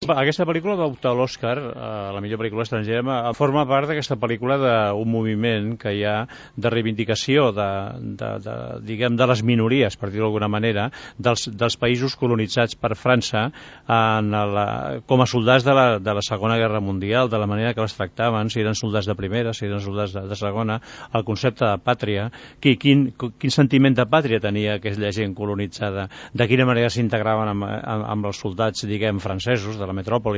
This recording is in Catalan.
Aquesta pel·lícula va optar a l'Oscar, a la millor pel·lícula estrangera, forma part d'aquesta pel·lícula d'un moviment que hi ha de reivindicació diguem, de les minories, per dir-ho d'alguna manera, dels països colonitzats per França com a soldats de la Segona Guerra Mundial, de la manera que les tractaven, si eren soldats de primera, si eren soldats de segona, el concepte de pàtria, quin sentiment de pàtria tenia aquella gent colonitzada, de quina manera s'integraven amb els soldats, diguem, francesos de la metròpoli,